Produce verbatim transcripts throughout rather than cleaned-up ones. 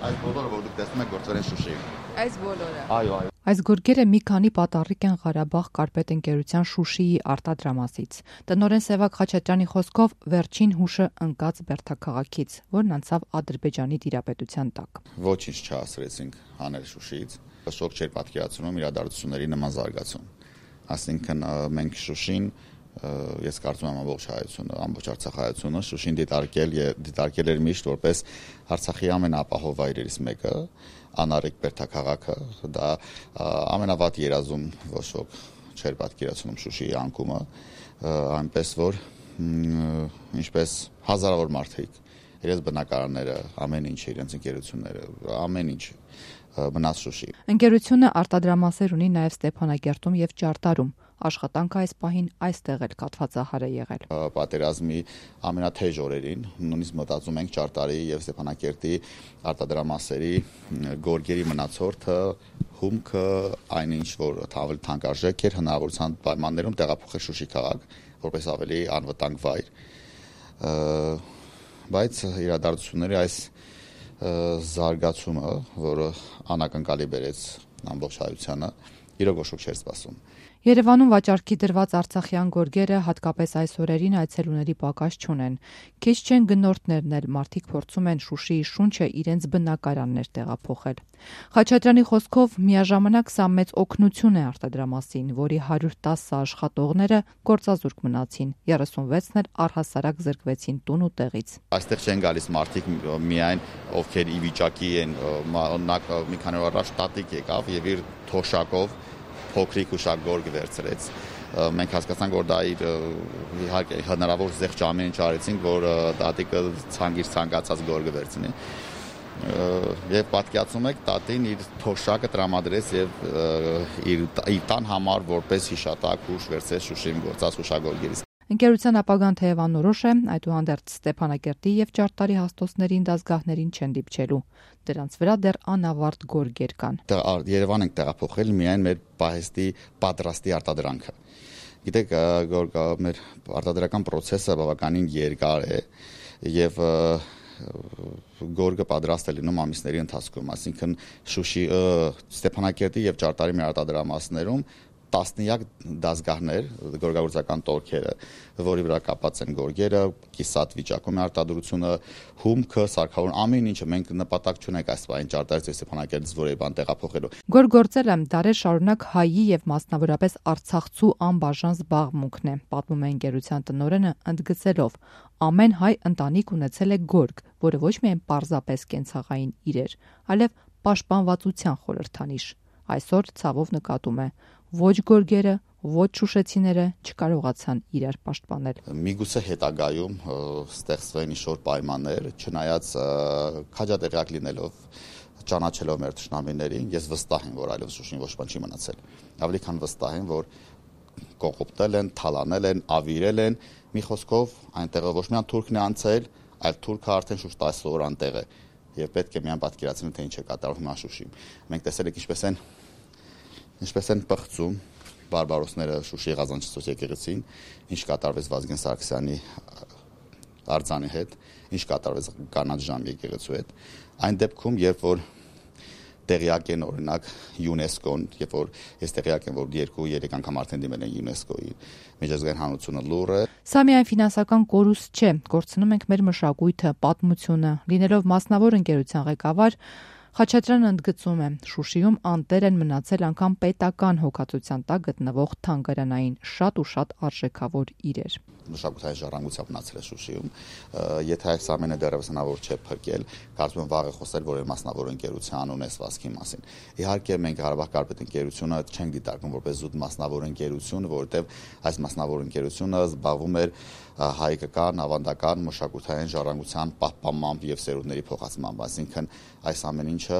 Այս բոլորը, որ դուք տեսնում եք, գործել են Շուշիում։ Այս բոլորը։ Այո, այո։ Այս գորգերը մի քանի պատառիկ են Ղարաբաղ կարպետ ընկերության Շուշիի արտադրամասից։ Տնօրեն Սևակ Խաչատրյանի խոսքով վերջին հուշը ընկած Բերդաքաղաքից, որն անցավ Ադրբեջանի տիրապետության տակ։ Ոչինչ չհասցրեցինք հանել Շուշիից, շոկ չէր պատկերացնում իրադարձությունների նման զարգացում։ Այսինքն մենք Շուշին, ես կարծում եմ ամբողջ հայությունը, ամբողջ Արցախայությունը Շուշին դիտարկել եւ դիտարկել էր միշտ որպես Արցախի ամենաապահով վայրերից մեկը, անարեկ Բերդաքաղաքը, դա ամենավատ երազում ոչ ոք չէր պատկերացնում Շուշիի անկումը, այնպես որ ինչպես հազարավոր մարդիկ, իրենց բնակարանները, ամեն ինչ, իրենց ընկերությունները, ամեն ինչ մնաց Շուշի։ Ընկերությունը արտադրամասեր ունի նաև Ստեփանագերտում եւ Ճարտարում։ Աշխատանքը այս պահին այստեղ էլ կաթվածահար է եղել։ Պատերազմի ամենաթեժ օրերին նույնիսկ մտածում ենք Ճարտարի եւ Ստեփանակերտի արտադրամասերի գորգերի մնացորդը, հումքը, այնինչ որ ավելի թանկարժեք էր, հնարավորության պայմաններում տեղափոխել Շուշի քաղաք, որպես ավելի անվտանգ վայր։ Բայց իրադարձությունների այս զարգացումը, որը անակնկալի բերեց ամբողջ հայությանը, իրոք ոչ ոք չէր սպասում։ Երևանում վաճառքի դրված արցախյան գորգերը հատկապես այս օրերին այցելուների պակաս չունեն։ Քիչ չեն գնորդներն էլ, մարդիկ փորձում են Շուշիի շունչը իրենց բնակարաններ տեղափոխել։ Խաչատրյանի խոսքով միաժամանակ սա մեծ օգնություն է արտադրամասին, որի հարյուր տասը աշխատողները գործազուրկ մնացին, երեսունվեցն էլ առհասարակ զրկվեցին տուն ու տեղից։ Այստեղ չեն գալիս մարդիկ միայն ովքեր ի վիճակի են, մի քանի օր առաջ տատիկ եկավ եւ իր թոշակով փոքրիկ ուշակ գորգ վերցրեց։ Մենք հասկացանք, որ դա իր իհարկե հնարավոր զեղչ ամեն ինչ արեցինք, որ տատիկը ցանգիր ցանկացած գորգը վերցնի։ Եվ պատկերացնում եք, տատին իր թոշակը տրամադրեց եւ իր տան համար որպես հիշատակ հուշ վերցրեց Շուշիում գործած հուշագորգերից։ Ընկերության ապագան թեև անորոշ է, այդուհանդերձ Ստեփանակերտի եւ Ճարտարի հաստոցներին դասգահներին չեն դիպչելու։ Դրանց վրա դեռ անավարտ գորգեր կան։ Երևան ենք տեղափոխել միայն մեր պահեստի պատրաստի արտադրանքը։ Գիտեք, մեր արտադրական process-ը բավականին երկար է եւ գորգը պատրաստ է լինում ամիսների ընթացքում, այսինքն Շուշի, Ստեփանակերտի եւ Ճարտարի մեր արտադրամասներում տասնյակ դասգահներ, գորգագործական տորքերը, որի վրա կապած են գորգերը, կիսատ վիճակում է արտադրությունը, հումքը, սարքավորում, ամեն ինչը մենք նպատակ չունենք այս բանին Ճարտարից եւ Ստեփանակերտից որևէ բան տեղափոխելու։ Գորգործելը դարեր շարունակ հայի եւ մասնավորապես արցախցու անբաժան զբաղմունքն է, պատմում է ընկերության տնօրենը, ընդգծելով. ամեն հայ ընտանիք ունեցել է գորգ, որը ոչ միայն պարզապես կենցաղային իրեր, այլև պաշտպանվածության խորհրդանիշ։ Այսօր ցավով նկատում է, ոչ գորգերը, ոչ շուշեցիները չկարողացան իրար պաշտպանել։ Միգուցե հետագայում ստեղծվեն ինչ-որ պայմաններ, չնայած քաջատեղյակ լինելով, ճանաչելով մեր թշնամիներին, ես վստահ եմ, որ այլևս Շուշին ոչ բան չի մնացել։ Ավելի քան վստահ եմ, որ կողոպտել են, թալանել են, ավիրել են, մի խոսքով այնտեղ ոչ միայն թուրքն է անցել, այլ թուրքը արդեն շուրջ տասը օր անտեղ է եւ պետք է միայն պատկերացնել, թե ինչ է կատարվում հիմա Շուշիում։ Մենք տեսել ենք ինչպես են ինչպես են պղծում բարբարոսները Շուշիի Ղազանչիցոս եկեղեցին, ինչ կատարվեց Վազգեն Սարգսյանի արձանի հետ, ինչ կատարվեց Կանաչ ժամ եկեղեցու հետ։ Այն դեպքում, երբ որ տեղյակ են օրինակ ՅՈՒՆԵՍԿՕ-ն, երբ որ ես տեղյակ եմ, որ երկու երեք անգամ արդեն դիմել են ՅՈՒՆԵՍԿՕ-ի միջազգային հանրությունը լուրը։ Սա միայն ֆինանսական կորուստ չէ, կորցնում ենք մեր մշակույթը, պատմությունը, լինելով մասնավոր ընկերության ղեկավար Խաչատրյանը ընդգծում է, Շուշիում անտեր են մնացել անգամ պետական հոգացության տակ գտնվող թանգարանային շատ ու շատ արժեքավոր իրեր։ Մշակութային ժառանգությամբ մնացել է Շուշիում, եթե այս ամենը դեռևս հնարավոր չէ փրկել, կարծում եմ վաղ է խոսել որևէ մասնավոր ընկերության ունեցվածքի մասին։ Իհարկե մենք Ղարաբաղ կարպետ ընկերությունը չենք դիտարկում որպես զուտ մասնավոր ընկերություն, որովհետև այս մասնավոր ընկերությունը զբաղվում էր հայկական, ավանդական մշակութային ժառանգության պահպանմամբ եւ սերունդների փոխանցմամբ, այսինքն այս ամեն ինչը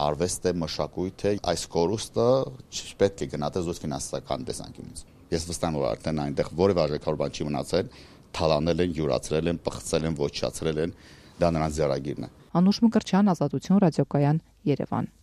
արվեստ է, մշակույթ է, այս կորուստը չպետք է գնահատել զուտ ֆինանսական տեսանկյունից։ Ես վստահ եմ, որ արդեն այնտեղ որևէ արժեքավոր բան չի մնացել, թալանել են, յուրացրել են, պղծել են, ոչնչացրել են, դա նրանց ձեռագիրն է։ Անուշ Մկրտչյան, Ազատություն ռադիոկայան, Երևան։